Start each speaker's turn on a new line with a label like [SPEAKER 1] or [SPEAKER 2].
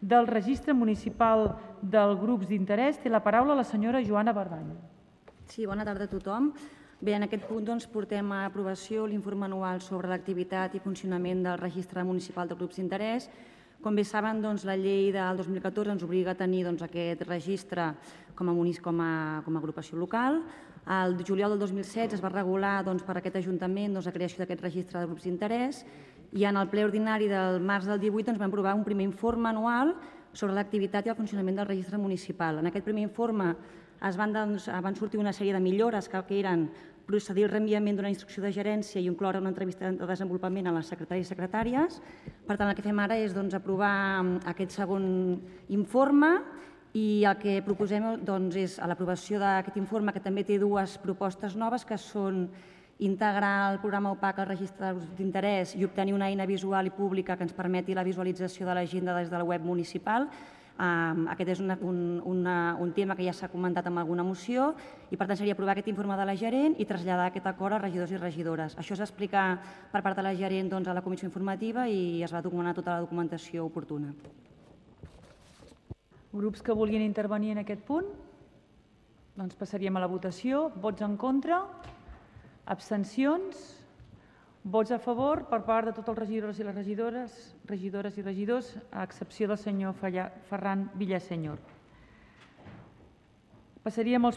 [SPEAKER 1] del Registre Municipal dels Grups d'Interès. Té la paraula la senyora Joana Bardany.
[SPEAKER 2] Sí, bona tarda a tothom. Bé, en aquest punt portem a aprovació l'informe anual sobre l'activitat i funcionament del Registre Municipal de Grups d'Interès. Com bé saben, la llei del 2014 ens obliga a tenir aquest registre com a agrupació local. El juliol del 2016 es va regular per aquest Ajuntament la creació d'aquest registre de grups d'interès i en el ple ordinari del març del 18 vam aprovar un primer informe anual sobre l'activitat i el funcionament del registre municipal. En aquest primer informe van sortir una sèrie de millores que eren procedir al reenviament d'una instrucció de gerència i incloure una entrevista de desenvolupament a les secretaris i secretàries. Per tant, el que fem ara és aprovar aquest segon informe i el que proposem és l'aprovació d'aquest informe, que també té dues propostes noves, que són integrar el programa OPAC al registre de grups d'interès i obtenir una eina visual i pública que ens permeti la visualització de l'agenda des de la web municipal. Aquest és un tema que ja s'ha comentat en alguna moció i, per tant, seria aprovar aquest informe de la gerent i traslladar aquest acord als regidors i regidores. Això es va explicar per part de la gerent a la comissió informativa i es va documentar tota la documentació oportuna.
[SPEAKER 1] Grups que vulguin intervenir en aquest punt? Doncs passaríem a la votació. Vots en contra? Abstencions? Vots a favor per part de tots els regidors i les regidores, a excepció del senyor Ferran Villasenyor. Passaríem als